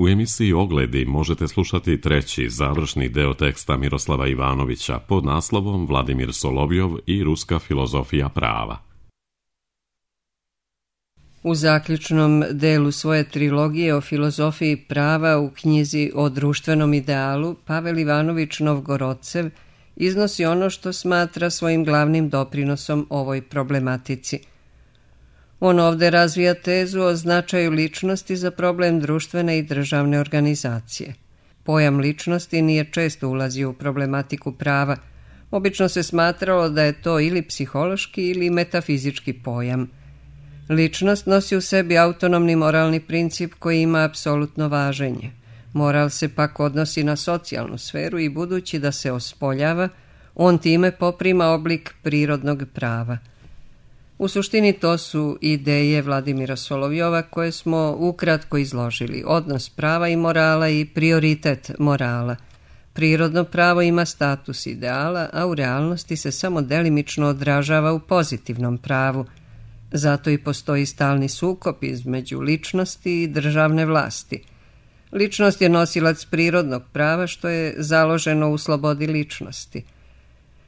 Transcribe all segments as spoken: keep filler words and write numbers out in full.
U emisiji Ogledi možete slušati treći, završni deo teksta Miroslava Ivanovića pod naslovom Vladimir Solovjov i ruska filozofija prava. U zaključnom delu svoje trilogije o filozofiji prava u knjizi o društvenom idealu, Pavel Ivanović Novgorodcev iznosi ono što smatra svojim glavnim doprinosom ovoj problematici. On ovde razvija tezu o značaju ličnosti za problem društvene i državne organizacije. Pojam ličnosti nije često ulazio u problematiku prava. Obično se smatralo da je to ili psihološki ili metafizički pojam. Ličnost nosi u sebi autonomni moralni princip koji ima apsolutno važenje. Moral se pak odnosi na socijalnu sferu i budući da se ospoljava, on time poprima oblik prirodnog prava. U suštini to su ideje Vladimira Solovjova koje smo ukratko izložili, odnos prava i morala i prioritet morala. Prirodno pravo ima status ideala, a u realnosti se samo delimično odražava u pozitivnom pravu. Zato i postoji stalni sukob između ličnosti i državne vlasti. Ličnost je nosilac prirodnog prava što je založeno u slobodi ličnosti.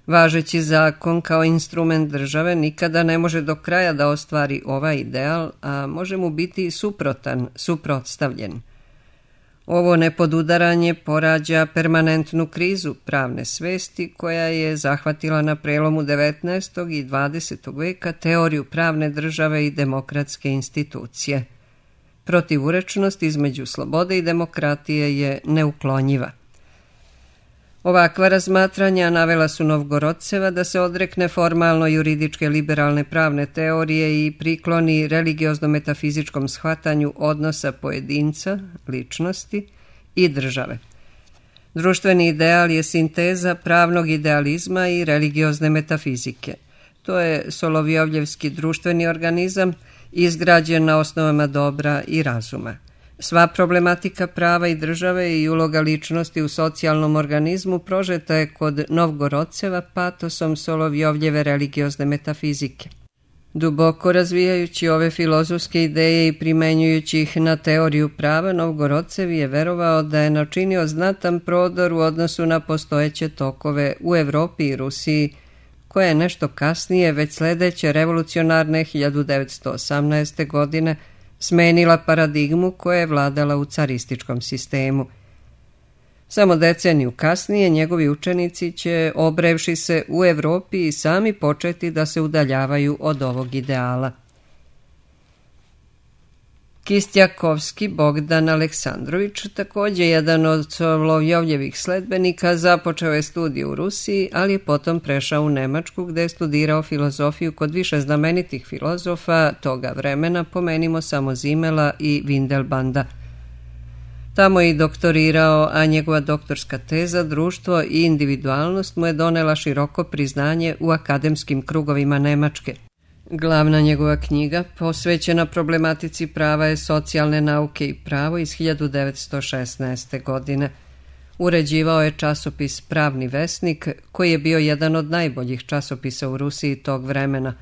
Važeći zakon kao instrument države nikada ne može do kraja da ostvari ovaj ideal, a može mu biti suprotan, suprotstavljen. Ovo nepodudaranje porađa permanentnu krizu pravne svesti koja je zahvatila na prelomu devetnaestog i dvadesetog veka teoriju pravne države i demokratske institucije. Protivurečnost između slobode i demokratije je neuklonjiva. Ovakva razmatranja navela su Novgorodceva da se odrekne formalno juridičke liberalne pravne teorije i prikloni religiozno-metafizičkom shvatanju odnosa pojedinca, ličnosti i države. Društveni ideal je sinteza pravnog idealizma i religiozne metafizike. To je Solovjovljevski društveni organizam izgrađen na osnovama dobra i razuma. Sva problematika prava i države i uloga ličnosti u socijalnom organizmu prožeta je kod Novgorodceva patosom Solovjovljeve religiozne metafizike. Duboko razvijajući ove filozofske ideje i primenjujući ih na teoriju prava, Novgorodcev je verovao da je načinio znatan prodor u odnosu na postojeće tokove u Evropi i Rusiji, koja je nešto kasnije, već sledeće revolucionarne hiljadu devetsto osamnaeste. godine, smenila paradigmu koja je vladala u carističkom sistemu. Samo deceniju kasnije njegovi učenici će, obrevši se u Evropi, i sami početi da se udaljavaju od ovog ideala. Kistjakovski Bogdan Aleksandrović, također jedan od Solovjovljevih sledbenika, započeo je studije u Rusiji, ali je potom prešao u Nemačku gde je studirao filozofiju kod više znamenitih filozofa toga vremena, pomenimo samo Zimela i Windelbanda. Tamo je i doktorirao, a njegova doktorska teza Društvo i individualnost mu je donela široko priznanje u akademskim krugovima Nemačke. Glavna njegova knjiga, posvećena problematici prava, je Socijalne nauke i pravo iz hiljadu devetsto šesnaeste. godine. Uređivao je časopis Pravni vesnik, koji je bio jedan od najboljih časopisa u Rusiji tog vremena.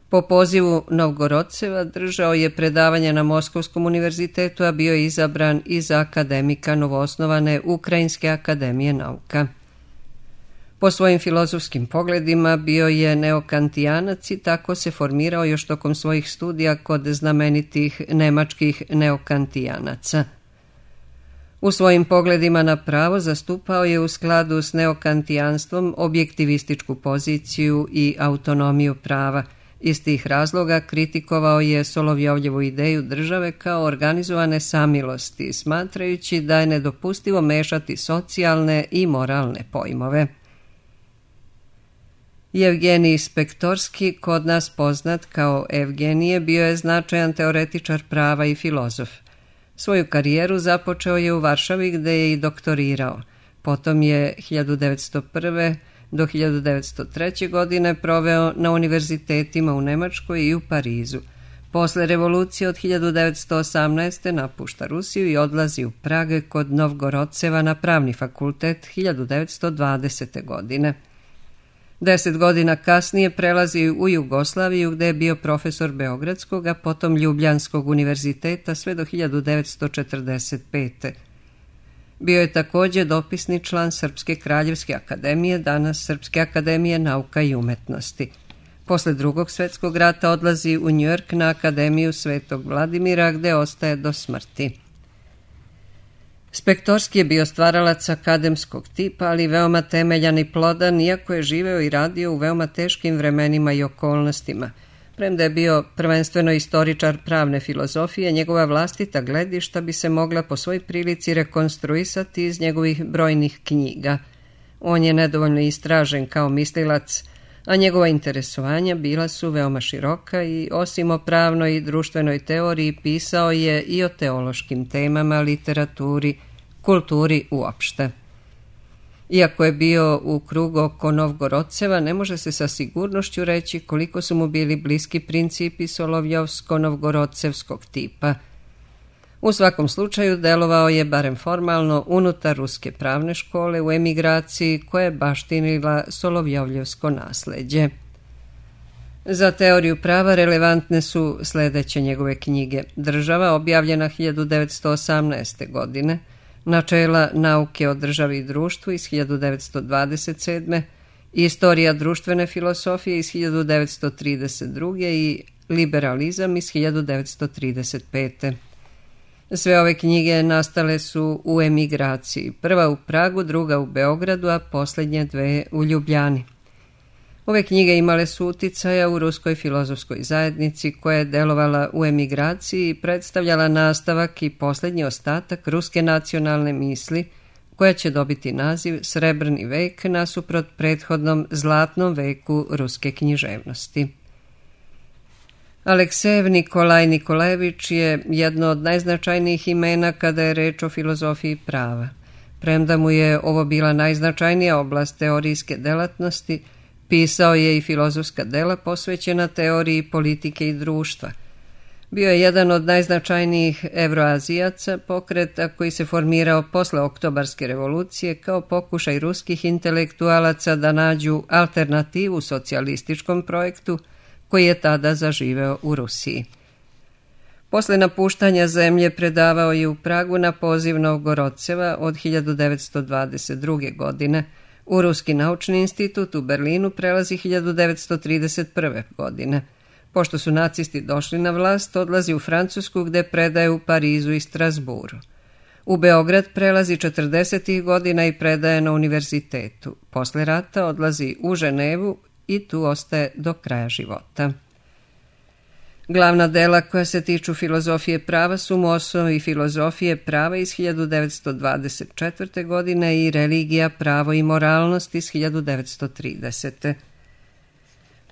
Po pozivu Novgorodceva držao je predavanje na Moskovskom univerzitetu, a bio je izabran i za akademika novoosnovane Ukrajinske akademije nauka. Po svojim filozofskim pogledima bio je neokantijanac i tako se formirao još tokom svojih studija kod znamenitih nemačkih neokantijanaca. U svojim pogledima na pravo zastupao je u skladu s neokantijanstvom objektivističku poziciju i autonomiju prava. Iz tih razloga kritikovao je Solovjovljevu ideju države kao organizovane samilosti, smatrajući da je nedopustivo mešati socijalne i moralne pojmove. Jevgenij Spektorski, kod nas poznat kao Evgenije, bio je značajan teoretičar prava i filozof. Svoju karijeru započeo je u Varšavi gde je i doktorirao. Potom je hiljadu devetsto prve. do hiljadu devetsto treće. godine proveo na univerzitetima u Nemačkoj i u Parizu. Posle revolucije od hiljadu devetsto osamnaeste. napušta Rusiju i odlazi u Prag kod Novgorodceva na pravni fakultet hiljadu devetsto dvadesete. godine. Deset godina kasnije prelazi u Jugoslaviju gde je bio profesor Beogradskog, a potom Ljubljanskog univerziteta sve do hiljadu devetsto četrdeset pete. Bio je također dopisni član Srpske kraljevske akademije, danas Srpske akademije nauka i umetnosti. Posle Drugog svjetskog rata odlazi u Njujork na Akademiju Svetog Vladimira gde ostaje do smrti. Spektorski je bio stvaralac akademskog tipa, ali veoma temeljan i plodan, iako je živeo i radio u veoma teškim vremenima i okolnostima. Premda je bio prvenstveno istoričar pravne filozofije, njegova vlastita gledišta bi se mogla po svoj prilici rekonstruisati iz njegovih brojnih knjiga. On je nedovoljno istražen kao mislilac, a njegova interesovanja bila su veoma široka i osim o pravnoj i društvenoj teoriji pisao je i o teološkim temama, literaturi, kulturi uopšte. Iako je bio u krugu oko Novgorodceva, ne može se sa sigurnošću reći koliko su mu bili bliski principi Solovjovsko-novgorodcevskog tipa. U svakom slučaju delovao je, barem formalno, unutar ruske pravne škole u emigraciji koja je baštinila Solovjovljevsko nasleđe. Za teoriju prava relevantne su sljedeće njegove knjige: Država, objavljena hiljadu devetsto osamnaeste. godine, Načela nauke o državi i društvu iz hiljadu devetsto dvadeset sedme. Istorija društvene filosofije iz hiljadu devetsto trideset druge. i Liberalizam iz hiljadu devetsto trideset pete. Sve ove knjige nastale su u emigraciji, prva u Pragu, druga u Beogradu, a posljednje dve u Ljubljani. Ove knjige imale su uticaja u ruskoj filozofskoj zajednici koja je delovala u emigraciji i predstavljala nastavak i posljednji ostatak ruske nacionalne misli, koja će dobiti naziv Srebrni vek nasuprot prethodnom zlatnom veku ruske književnosti. Aleksejev Nikolaj Nikolajević je jedno od najznačajnijih imena kada je reč o filozofiji prava. Premda mu je ovo bila najznačajnija oblast teorijske delatnosti, pisao je i filozofska dela posvećena teoriji politike i društva. Bio je jedan od najznačajnijih evroazijaca, pokreta koji se formirao posle Oktobarske revolucije kao pokušaj ruskih intelektualaca da nađu alternativu socijalističkom projektu koji je tada zaživeo u Rusiji. Posle napuštanja zemlje predavao je u Pragu na poziv Novgorodceva od hiljadu devetsto dvadeset druge. godine, u Ruski naučni institut u Berlinu prelazi hiljadu devetsto trideset prve. godine. Pošto su nacisti došli na vlast, odlazi u Francusku gde predaje u Parizu i Strasburu. U Beograd prelazi četrdesetih godina i predaje na univerzitetu. Posle rata odlazi u Ženevu i tu ostaje do kraja života. Glavna dela koja se tiču filozofije prava su mu Osnovi filozofije prava iz hiljadu devetsto dvadeset četvrte. godine i Religija, pravo i moralnost iz hiljadu devetsto tridesete.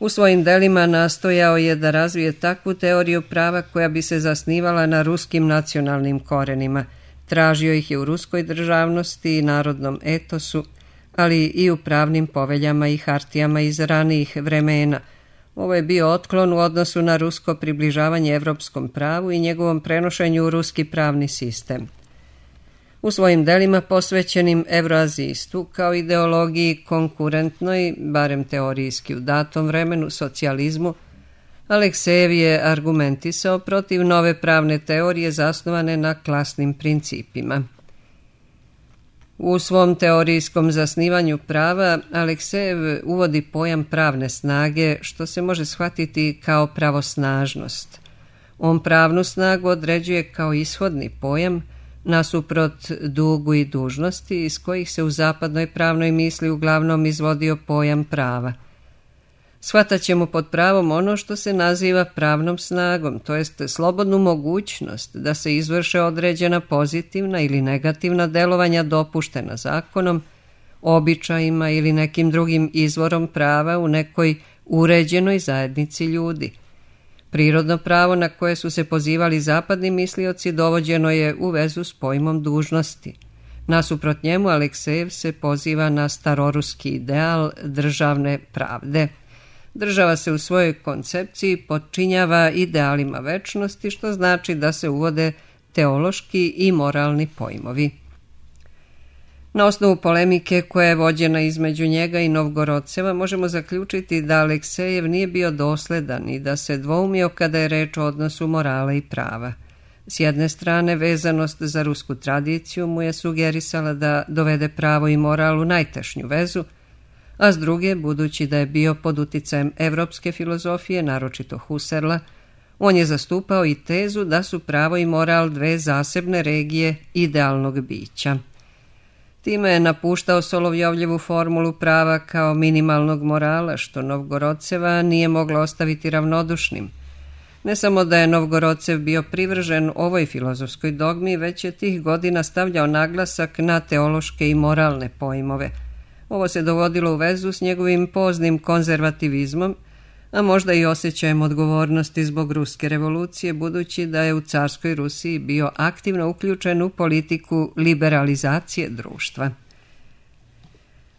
U svojim delima nastojao je da razvije takvu teoriju prava koja bi se zasnivala na ruskim nacionalnim korenima. Tražio ih je u ruskoj državnosti i narodnom etosu, ali i u pravnim poveljama i hartijama iz ranijih vremena. Ovo je bio otklon u odnosu na rusko približavanje evropskom pravu i njegovom prenošenju u ruski pravni sistem. U svojim delima posvećenim evroazijstvu kao ideologiji konkurentnoj, barem teorijski u datom vremenu, socijalizmu, Aleksejev je argumentisao protiv nove pravne teorije zasnovane na klasnim principima. U svom teorijskom zasnivanju prava Aleksejev uvodi pojam pravne snage, što se može shvatiti kao pravosnažnost. On pravnu snagu određuje kao ishodni pojam nasuprot dugu i dužnosti iz kojih se u zapadnoj pravnoj misli uglavnom izvodio pojam prava. Shvatat ćemo pod pravom ono što se naziva pravnom snagom, to jest slobodnu mogućnost da se izvrše određena pozitivna ili negativna delovanja dopuštena zakonom, običajima ili nekim drugim izvorom prava u nekoj uređenoj zajednici ljudi. Prirodno pravo na koje su se pozivali zapadni mislioci dovođeno je u vezu s pojmom dužnosti. Nasuprot njemu Aleksejev se poziva na staroruski ideal državne pravde. Država se u svojoj koncepciji potčinjava idealima večnosti, što znači da se uvode teološki i moralni pojmovi. Na osnovu polemike koja je vođena između njega i Novgorodceva možemo zaključiti da Aleksejev nije bio dosledan i da se dvoumio kada je reč o odnosu morala i prava. S jedne strane, vezanost za rusku tradiciju mu je sugerisala da dovede pravo i moral u najtešnju vezu, a s druge, budući da je bio pod uticajem evropske filozofije, naročito Husserla, on je zastupao i tezu da su pravo i moral dve zasebne regije idealnog bića. Time je napuštao Solovjovljevu formulu prava kao minimalnog morala, što Novgorodceva nije mogla ostaviti ravnodušnim. Ne samo da je Novgorodcev bio privržen ovoj filozofskoj dogmi, već je tih godina stavljao naglasak na teološke i moralne pojmove. Ovo se dovodilo u vezu s njegovim poznim konzervativizmom, a možda i osjećajem odgovornosti zbog ruske revolucije, budući da je u carskoj Rusiji bio aktivno uključen u politiku liberalizacije društva.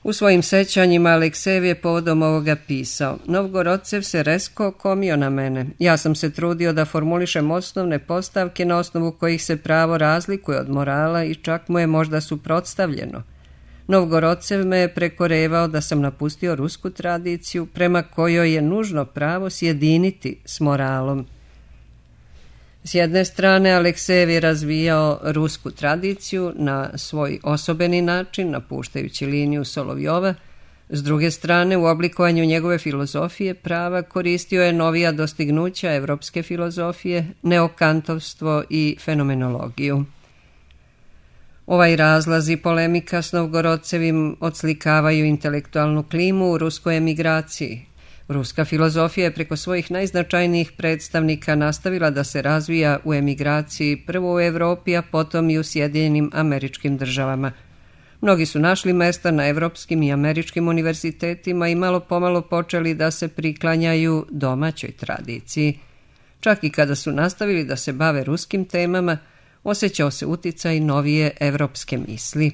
U svojim sećanjima Aleksejev je povodom ovoga pisao: Novgorodcev se rezko okomio na mene. Ja sam se trudio da formulišem osnovne postavke na osnovu kojih se pravo razlikuje od morala i čak mu je možda suprotstavljeno. Novgorodcev me je prekorevao da sam napustio rusku tradiciju prema kojoj je nužno pravo sjediniti s moralom. S jedne strane, Aleksejev je razvijao rusku tradiciju na svoj osobeni način, napuštajući liniju Solovjova. S druge strane, u oblikovanju njegove filozofije prava koristio je novija dostignuća evropske filozofije, neokantovstvo i fenomenologiju. Ovaj razlaz i polemika s Novgorodcevim odslikavaju intelektualnu klimu u ruskoj emigraciji. Ruska filozofija je preko svojih najznačajnijih predstavnika nastavila da se razvija u emigraciji, prvo u Evropi, a potom i u Sjedinjenim Američkim Državama. Mnogi su našli mesta na evropskim i američkim univerzitetima i malo pomalo počeli da se priklanjaju domaćoj tradiciji. Čak i kada su nastavili da se bave ruskim temama, osjećao se uticaj novije evropske misli.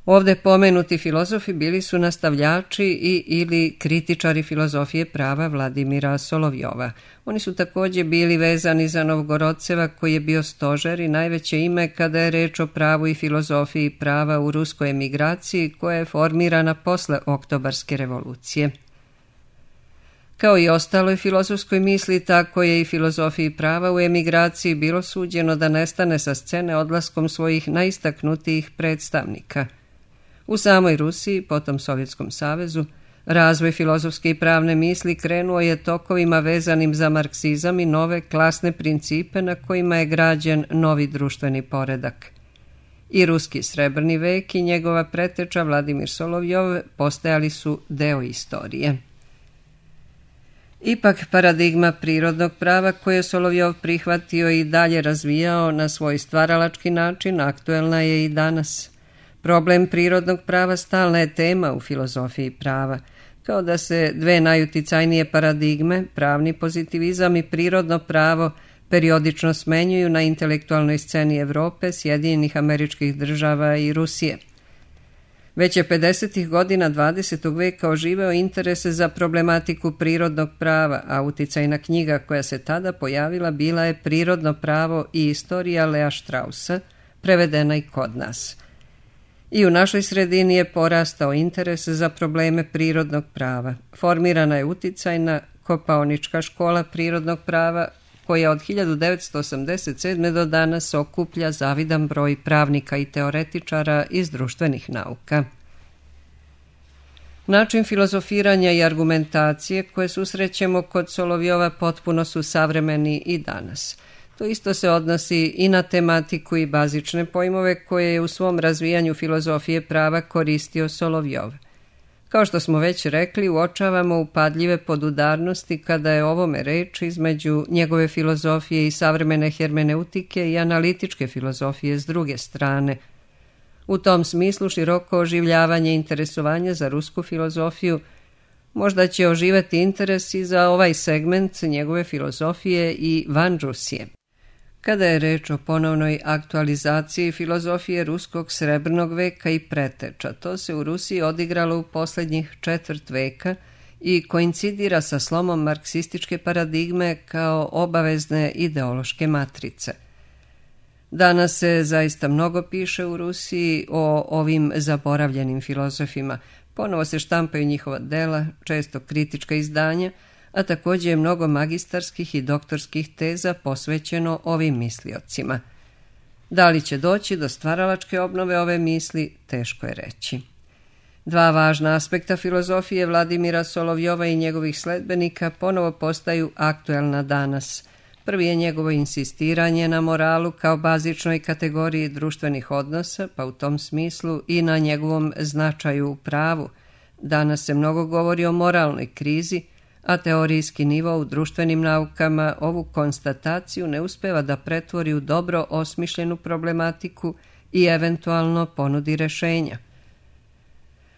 Ovde pomenuti filozofi bili su nastavljači i ili kritičari filozofije prava Vladimira Solovjova. Oni su također bili vezani za Novgorodceva, koji je bio stožer i najveće ime kada je reč o pravu i filozofiji prava u ruskoj emigraciji, koja je formirana posle Oktobarske revolucije. Kao i ostaloj filozofskoj misli, tako je i filozofiji prava u emigraciji bilo suđeno da nestane sa scene odlaskom svojih najistaknutijih predstavnika. U samoj Rusiji, potom Sovjetskom savezu, razvoj filozofske i pravne misli krenuo je tokovima vezanim za marksizam i nove klasne principe na kojima je građen novi društveni poredak. I ruski srebrni vek i njegova preteča Vladimir Solovjov postajali su deo istorije. Ipak paradigma prirodnog prava koje je Solovjov prihvatio i dalje razvijao na svoj stvaralački način aktuelna je i danas. Problem prirodnog prava stalna je tema u filozofiji prava, kao da se dve najuticajnije paradigme, pravni pozitivizam i prirodno pravo, periodično smenjuju na intelektualnoj sceni Evrope, Sjedinjenih Američkih Država i Rusije. Već je pedesetih godina dvadesetog veka oživeo interese za problematiku prirodnog prava, a uticajna knjiga koja se tada pojavila bila je Prirodno pravo i istorija Lea Straussa, prevedena i kod nas. I u našoj sredini je porastao interes za probleme prirodnog prava. Formirana je uticajna Kopaonička škola prirodnog prava, koja od hiljadu devetsto osamdeset sedme do danas okuplja zavidan broj pravnika i teoretičara iz društvenih nauka. Način filozofiranja i argumentacije koje susrećemo kod Solovjova potpuno su savremeni i danas. To isto se odnosi i na tematiku i bazične pojmove koje je u svom razvijanju filozofije prava koristio Solovjov. Kao što smo već rekli, uočavamo upadljive podudarnosti kada je ovome reč između njegove filozofije i savremene hermeneutike i analitičke filozofije s druge strane. U tom smislu široko oživljavanje i interesovanje za rusku filozofiju možda će oživati interes i za ovaj segment njegove filozofije i van Rusije. Kada je reč o ponovnoj aktualizaciji filozofije ruskog srebrnog veka i preteča, to se u Rusiji odigralo u posljednjih četvrt veka i koincidira sa slomom marksističke paradigme kao obavezne ideološke matrice. Danas se zaista mnogo piše u Rusiji o ovim zaboravljenim filozofima. Ponovo se štampaju njihova dela, često kritička izdanja, a također je mnogo magistarskih i doktorskih teza posvećeno ovim misliocima. Da li će doći do stvaralačke obnove ove misli, teško je reći. Dva važna aspekta filozofije Vladimira Solovjova i njegovih sledbenika ponovo postaju aktuelna danas. Prvi je njegovo insistiranje na moralu kao bazičnoj kategoriji društvenih odnosa, pa u tom smislu i na njegovom značaju u pravu. Danas se mnogo govori o moralnoj krizi, a teorijski nivo u društvenim naukama ovu konstataciju ne uspeva da pretvori u dobro osmišljenu problematiku i eventualno ponudi rešenja.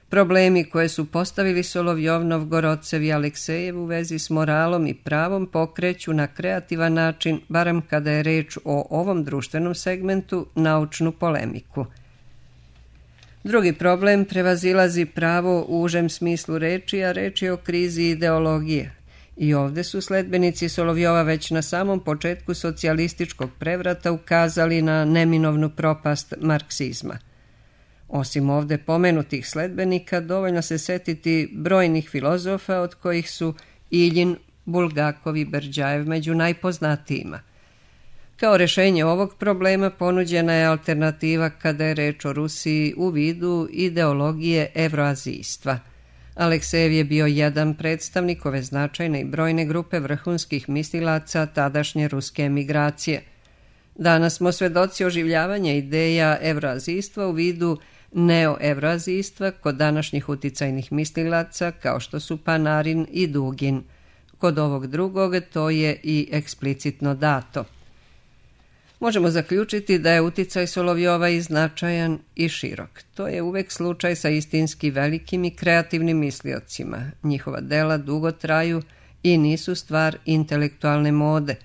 Problemi koje su postavili Solovjov, Novgorodcev i Aleksejev u vezi s moralom i pravom pokreću na kreativan način, barem kada je reč o ovom društvenom segmentu, naučnu polemiku. Drugi problem prevazilazi pravo u užem smislu reči, a reč je o krizi ideologije. I ovde su sledbenici Solovjova već na samom početku socijalističkog prevrata ukazali na neminovnu propast marksizma. Osim ovde pomenutih sledbenika, dovoljno se setiti brojnih filozofa, od kojih su Iljin, Bulgakov i Berdjajev među najpoznatijima. Kao rešenje ovog problema ponuđena je alternativa kada je reč o Rusiji u vidu ideologije evroazijstva. Aleksejev je bio jedan predstavnik ove značajne i brojne grupe vrhunskih mislilaca tadašnje ruske emigracije. Danas smo svedoci oživljavanja ideja evroazijstva u vidu neoevroazijstva kod današnjih uticajnih mislilaca kao što su Panarin i Dugin. Kod ovog drugog to je i eksplicitno dato. Možemo zaključiti da je uticaj Solovjova i značajan i širok. To je uvek slučaj sa istinski velikim i kreativnim misliocima. Njihova dela dugo traju i nisu stvar intelektualne mode.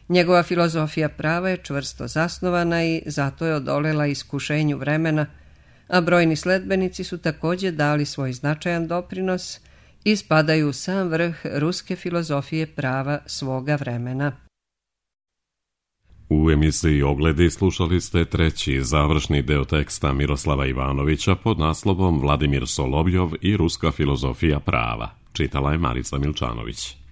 Njegova filozofija prava je čvrsto zasnovana i zato je odolela iskušenju vremena, a brojni sledbenici su također dali svoj značajan doprinos i spadaju u sam vrh ruske filozofije prava svoga vremena. U emisiji Ogledi slušali ste treći završni deo teksta Miroslava Ivanovića pod naslovom Vladimir Solovjov i ruska filozofija prava. Čitala je Marica Milčanović.